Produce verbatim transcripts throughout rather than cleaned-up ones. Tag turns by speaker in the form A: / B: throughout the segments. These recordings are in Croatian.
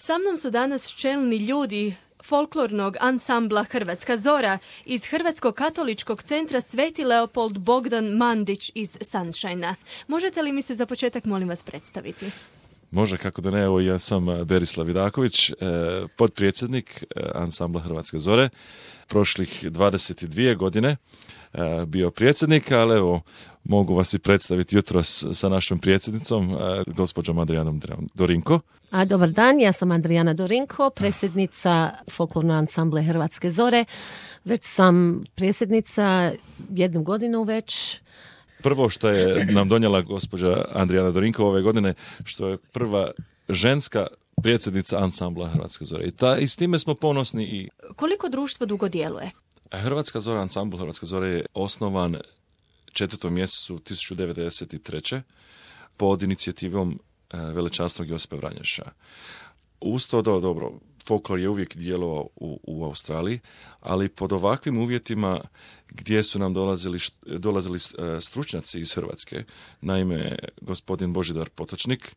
A: Sa mnom su danas čelni ljudi folklornog ansambla Hrvatska Zora iz Hrvatskog katoličkog centra Sveti Leopold Bogdan Mandić iz Sunshine-a. Možete li mi se za početak, molim vas, predstaviti?
B: Može, kako da ne, evo ja sam Berislav Vidaković, potpredsjednik ansambla Hrvatske Zore, prošlih dvadeset dvije godine bio predsjednik, ali evo mogu vas i predstaviti jutros sa našom predsjednicom, gospođom Adrijanom Dorinko.
C: A dobar dan, ja sam Adrijana Dorinko, predsjednica folklornog ansambla Hrvatske Zore. Već sam predsjednica jednu godinu već.
B: Prvo što je nam donijela gospođa Adrijana Dorinko ove godine, što je prva ženska predsjednica ansambla Hrvatske Zore. I, ta, i s time smo ponosni. I...
A: Koliko društvo dugo djeluje?
B: Hrvatska Zora, ansambl Hrvatske Zore je osnovan četvrtom mjesecu tisuću devetsto devedeset treće pod inicijativom velečasnog Josipa Vranješa. Uz to, do, dobro, folklor je uvijek djelovao u, u Australiji, ali pod ovakvim uvjetima gdje su nam dolazili, dolazili stručnjaci iz Hrvatske, naime gospodin Božidar Potočnik,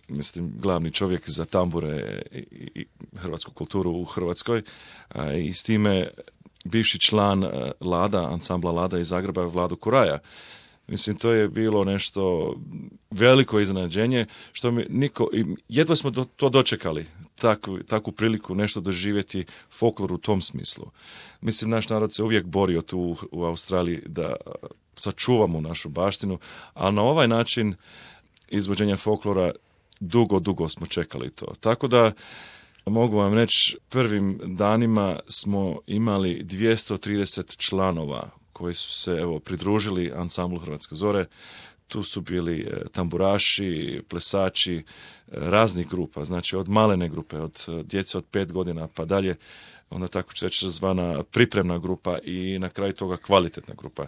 B: mislim, glavni čovjek za tambure i, i hrvatsku kulturu u Hrvatskoj, a, i s time bivši član Lada, ansambla Lada iz Zagreba, Vladu Kuraja. Mislim, to je bilo nešto veliko iznenađenje, što mi niko, jedva smo do, to dočekali, takvu, takvu priliku nešto doživjeti folklor u tom smislu. Mislim, naš narod se uvijek borio tu u, u Australiji da sačuvamo našu baštinu, a na ovaj način izvođenja folklora dugo, dugo smo čekali to. Tako da mogu vam reći, prvim danima smo imali dvjesto trideset članova koji su se evo pridružili ansamblu Hrvatske Zore. Tu su bili tamburaši, plesači, raznih grupa, znači od malene grupe, od djece od pet godina pa dalje, onda tako će reći zvana pripremna grupa i na kraju toga kvalitetna grupa.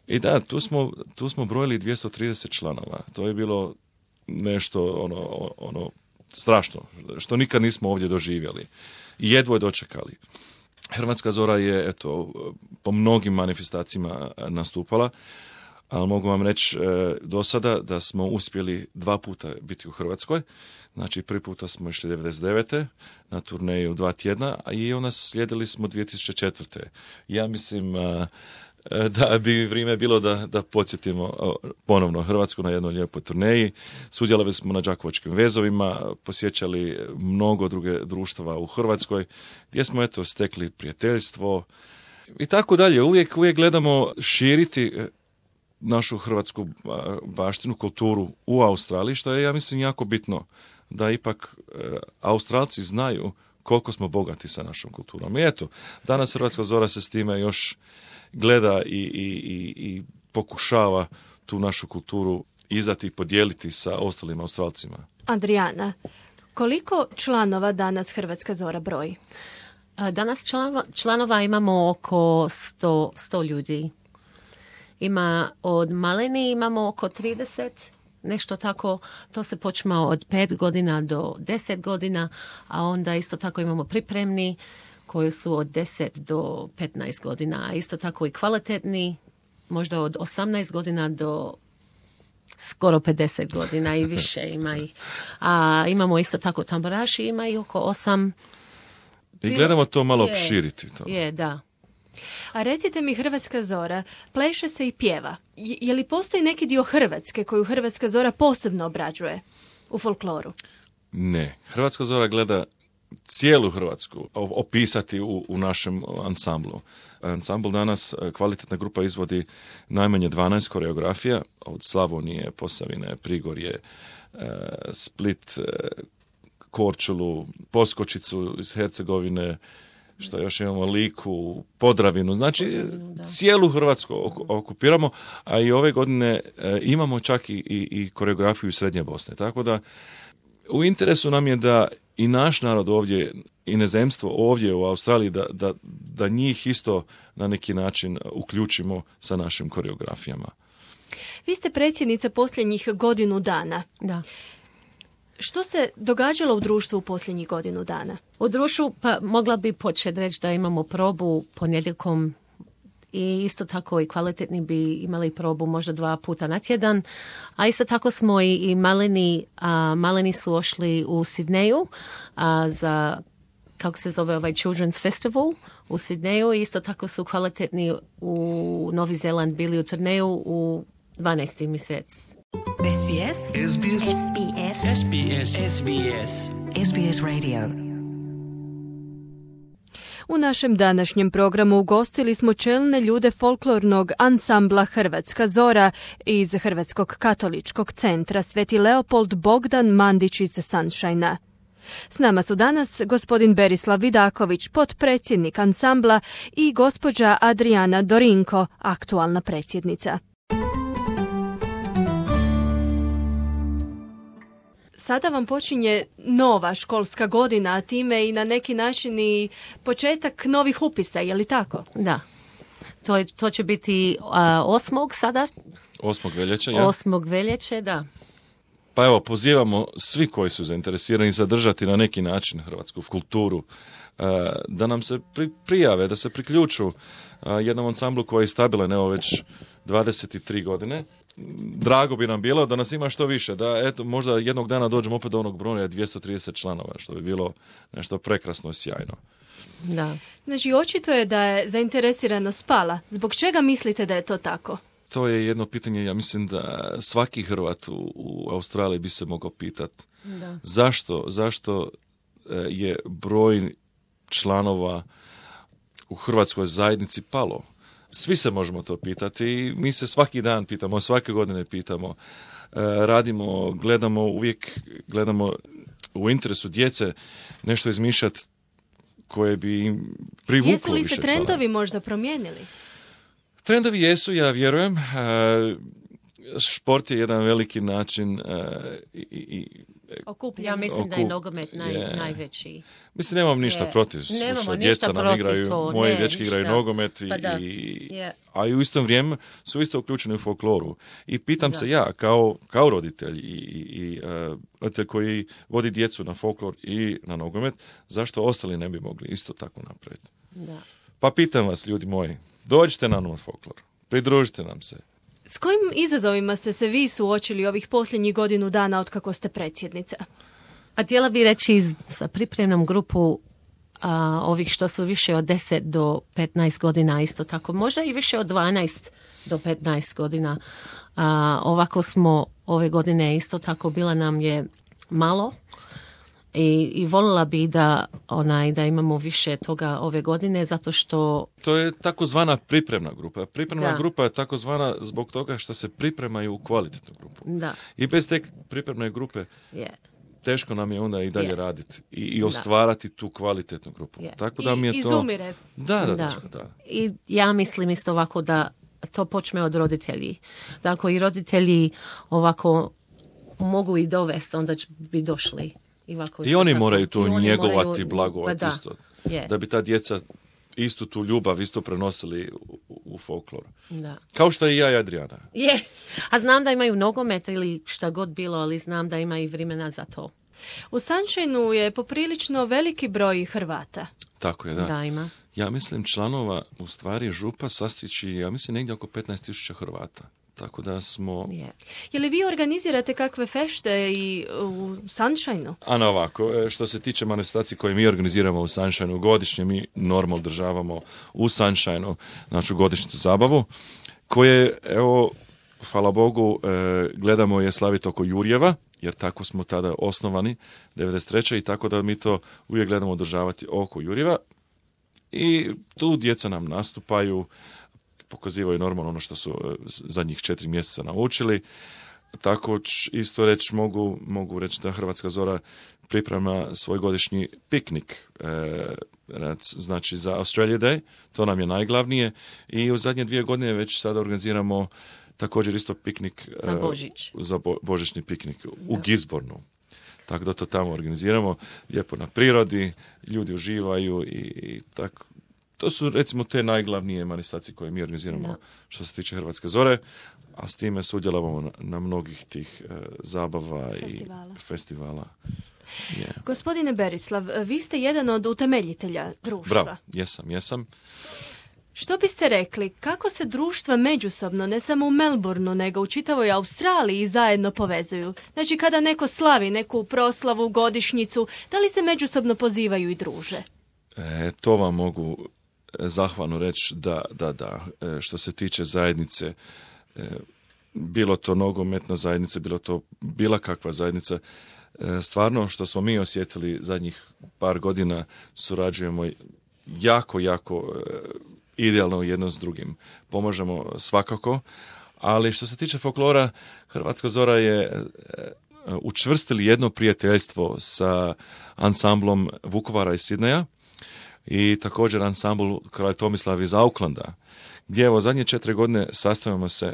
B: I da, tu smo, tu smo brojili dvjesto trideset članova. To je bilo nešto ono, ono strašno, što nikad nismo ovdje doživjeli. I jedvo je dočekali. Hrvatska Zora je, eto, po mnogim manifestacijama nastupala, ali mogu vam reći e, do sada da smo uspjeli dva puta biti u Hrvatskoj. Znači, prvi puta smo išli devedeset devete na turneju dva tjedna, a i onda slijedili smo dvije tisuće četvrte. Ja mislim a, da bi vrijeme bilo da, da podsjetimo ponovno Hrvatsku na jednoj lijepoj turneji. Sudjelovali smo na Đakovačkim vezovima, posjećali mnogo druge društava u Hrvatskoj, gdje smo eto stekli prijateljstvo i tako dalje. Uvijek, uvijek gledamo širiti našu hrvatsku baštinu, kulturu u Australiji, što je, ja mislim, jako bitno da ipak Australci znaju koliko smo bogati sa našom kulturom. I eto, danas Hrvatska Zora se s time još gleda i, i, i, i pokušava tu našu kulturu izdati i podijeliti sa ostalim Australcima.
A: Adrijana, koliko članova danas Hrvatska Zora broji?
C: Danas članova, članova imamo oko sto, sto ljudi. Ima od maleni imamo oko trideset, nešto tako. To se počma od pet godina do deset godina, a onda isto tako imamo pripremni koji su od deset do petnaest godina, a isto tako i kvalitetni, možda od osamnaest godina do skoro pedeset godina i više ima ih. A imamo isto tako tamburaši, ima ih oko osam.
B: I gledamo to malo
C: je,
B: opširiti. To.
C: Je, da.
A: A recite mi, Hrvatska Zora pleše se i pjeva. Je, je li postoji neki dio Hrvatske koju Hrvatska Zora posebno obrađuje u folkloru?
B: Ne. Hrvatska Zora gleda cijelu Hrvatsku opisati u, u našem ansamblu. Ansambl danas, kvalitetna grupa, izvodi najmanje dvanaest koreografija od Slavonije, Posavine, Prigorje, Split, Korčulu, Poskočicu iz Hercegovine, što još imamo Liku, Podravinu, znači cijelu Hrvatsku okupiramo, a i ove godine imamo čak i, i, i koreografiju iz Srednje Bosne. Tako da u interesu nam je da i naš narod ovdje, inozemstvo ovdje u Australiji, da, da, da njih isto na neki način uključimo sa našim koreografijama.
A: Vi ste predsjednica posljednjih godinu dana.
C: Da.
A: Što se događalo u društvu u posljednjih godinu dana?
C: U društvu, pa mogla bi početi reći da imamo probu ponedjeljkom i isto tako i kvalitetni bi imali probu možda dva puta na tjedan. A isto tako smo i, i maleni, a, maleni su ošli u Sidneju a, za, kako se zove ovaj Children's Festival u Sidneju i isto tako su kvalitetni u Novi Zeland bili u turneju u dvanaesti mjesec.
D: S B S S B S S B S S B S S B S S B S Radio.
A: U našem današnjem programu ugostili smo čelne ljude folklornog ansambla Hrvatska Zora iz Hrvatskog katoličkog centra Sveti Leopold Bogdan Mandić iz Sunshine-a. S nama su danas gospodin Berislav Vidaković, potpredsjednik ansambla, i gospođa Adriana Dorinko, aktualna predsjednica. Sada vam počinje nova školska godina, a time i na neki način i početak novih upisa, je li tako?
C: Da. To, je, to će biti uh, osmog sada.
B: Osmog veljače, ja?
C: Osmog veljače, da.
B: Pa evo, pozivamo svi koji su zainteresirani zadržati na neki način hrvatsku kulturu, uh, da nam se pri, prijave, da se priključu uh, jednom ansamblu koji je stabilan, evo već dvadeset tri godine. Drago bi nam bilo da nas ima što više, da eto možda jednog dana dođemo opet do onog broja dvjesto trideset članova, što bi bilo nešto prekrasno i sjajno.
C: Da.
A: Znači, očito je da je zainteresiranost pala. Zbog čega mislite da je to tako?
B: To je jedno pitanje, ja mislim da svaki Hrvat u, u Australiji bi se mogao pitati.
C: Da.
B: Zašto, zašto je broj članova u hrvatskoj zajednici palo? Svi se možemo to pitati i mi se svaki dan pitamo, svake godine pitamo, e, radimo, gledamo, uvijek gledamo u interesu djece nešto izmišljati koje bi im privuklo više članova.
A: Jesu li se trendovi možda promijenili?
B: Trendovi jesu, ja vjerujem. E, šport je jedan veliki način e, i, i
C: Okupljen. Ja mislim Okup... da je nogomet naj, yeah. najveći.
B: Mislim, nemam ništa
C: yeah.
B: protiv što djeca nam igraju,
C: to.
B: moji
C: ne,
B: dečki igraju nogomet, i,
C: pa
B: i,
C: yeah.
B: a i u istom vrijeme su isto uključeni u folkloru. I pitam da. se ja, kao, kao roditelj i, i, i uh, roditelj koji vodi djecu na folklor i na nogomet, zašto ostali ne bi mogli isto tako napraviti?
C: Da.
B: Pa pitam vas, ljudi moji, dođite na novi folklor, pridružite nam se.
A: S kojim izazovima ste se vi suočili ovih posljednjih godinu dana od kako ste predsjednica?
C: A htjela bi reći sa pripremnom grupu a, ovih što su više od deset do petnaest godina isto tako, možda i više od dvanaest do petnaest godina. A, ovako smo ove godine isto tako, bila nam je malo i, i voljela bi da, onaj, da imamo više toga ove godine, zato što...
B: To je takozvana pripremna grupa. Pripremna
C: da.
B: grupa je takozvana zbog toga što se pripremaju u kvalitetnu grupu.
C: Da.
B: I bez te pripremne grupe
C: yeah.
B: teško nam je onda i dalje yeah. raditi i, i
C: da.
B: ostvarati tu kvalitetnu grupu.
A: Yeah.
B: Tako da mi je
A: I,
B: to...
A: izumire.
B: Da, da, da,
C: da.
B: da.
C: I ja mislim isto ovako da to počne od roditelji. Da ako i roditelji ovako mogu i dovesti, onda bi došli. I,
B: I oni
C: tako.
B: moraju tu
C: oni
B: njegovati,
C: moraju,
B: blagovati
C: da.
B: isto.
C: Yeah.
B: Da bi ta djeca istu tu ljubav isto prenosili u, u folklor.
C: Da.
B: Kao što i ja i Adriana.
C: Je. A znam da imaju nogomet ili šta god bilo, ali znam da ima i vremena za to.
A: U Sunshine-u je poprilično veliki broj Hrvata.
B: Tako je, da.
C: Da, ima.
B: Ja mislim članova, u stvari župa sastići, ja mislim negdje oko petnaest tisuća Hrvata. Tako da smo...
C: Yeah.
A: Je li vi organizirate kakve fešte i u Sunshine-u?
B: Ano ovako, što se tiče manifestacije koje mi organiziramo u Sunshine-u, godišnje mi normalno održavamo u Sunshine-u, znači godišnju zabavu, koje, evo, hvala Bogu, gledamo je slaviti oko Jurjeva, jer tako smo tada osnovani, devedeset treće i tako da mi to uvijek gledamo održavati oko Jurjeva. I tu djeca nam nastupaju, pokazivaju normalno ono što su zadnjih četiri mjeseca naučili. Tako isto reći mogu, mogu reći da Hrvatska Zora priprema svoj godišnji piknik, e, znači za Australia Day, to nam je najglavnije. I u zadnje dvije godine već sada organiziramo također isto piknik.
C: Za Božić.
B: E, za bo, božićni piknik u Gisbornu. Tako da to tamo organiziramo, lijepo na prirodi, ljudi uživaju i, i tako. To su recimo te najglavnije manifestacije koje mi organiziramo da. Što se tiče Hrvatske Zore, a s time sudjelovamo na, na mnogih tih e, zabava
A: festivala.
B: i festivala. Yeah.
A: Gospodine Berislav, vi ste jedan od utemeljitelja društva.
B: Bravo, jesam, jesam.
A: Što biste rekli, kako se društva međusobno, ne samo u Melbourneu, nego u čitavoj Australiji zajedno povezuju? Znači, kada neko slavi neku proslavu, godišnjicu, da li se međusobno pozivaju i druže?
B: E, to vam mogu zahvalno reći da, da, da. E, što se tiče zajednice, e, bilo to nogometna zajednica, bilo to bila kakva zajednica, e, stvarno što smo mi osjetili zadnjih par godina, surađujemo jako, jako e, idealno jedno s drugim. Pomažemo svakako, ali što se tiče folklora, Hrvatska zora je e, učvrstili jedno prijateljstvo sa ansamblom Vukovara iz Sidneja i također ansambl Kralj Tomislav iz Aucklanda, gdje evo zadnje četiri godine sastavljamo se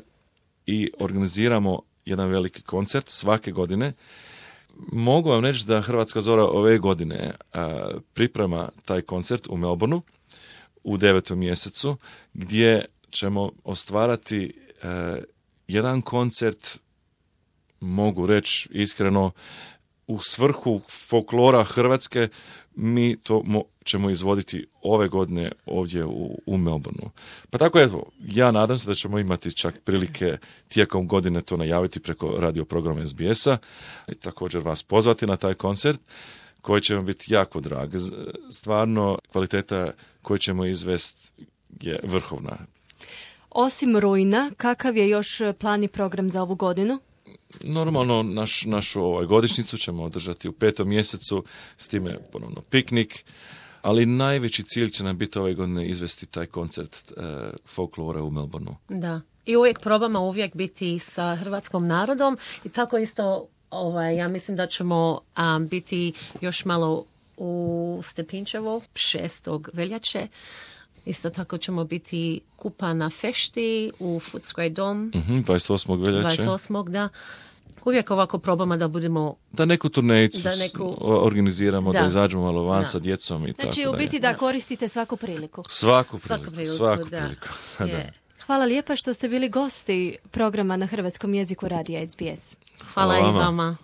B: i organiziramo jedan veliki koncert svake godine. Mogu vam reći da Hrvatska zora ove godine a, priprema taj koncert u Melbourneu u devetom mjesecu, gdje ćemo ostvarati a, jedan koncert, mogu reći iskreno, u svrhu folklora Hrvatske. Mi to mo- ćemo izvoditi ove godine ovdje u, u Melbourneu. Pa tako evo, ja nadam se da ćemo imati čak prilike tijekom godine to najaviti preko radio programa S B S-a i također vas pozvati na taj koncert koji će vam biti jako drag. Stvarno, kvaliteta koju ćemo izvesti je vrhovna.
A: Osim rujna, kakav je još plan i program za ovu godinu?
B: Normalno, naš, našu ovaj, godišnjicu ćemo održati u petom mjesecu, s time ponovno piknik, ali najveći cilj će nam biti ove godine izvesti taj koncert e, folklora u Melbourneu.
C: Da. I uvijek probamo uvijek biti sa hrvatskom narodom i tako isto ovaj, ja mislim da ćemo um, biti još malo u Stepinčevo šestog veljače. Isto tako ćemo biti kupa na fešti u Footscray dom.
B: Uh-huh, dvadeset osmog veljače.
C: dvadeset osmog da. Uvijek ovako probamo da budemo...
B: Da neku turnejicu
C: da neku...
B: organiziramo, da, da izađemo malo van
C: da.
B: sa djecom i
A: znači,
B: tako.
A: Znači, u biti da,
C: da
A: koristite svaku priliku.
B: Svaku priliku,
C: svaku priliku,
B: svaku
C: da.
B: priliku.
C: Yeah.
A: Hvala lijepa što ste bili gosti programa na hrvatskom jeziku radija S B S.
C: Hvala, Hvala i vama.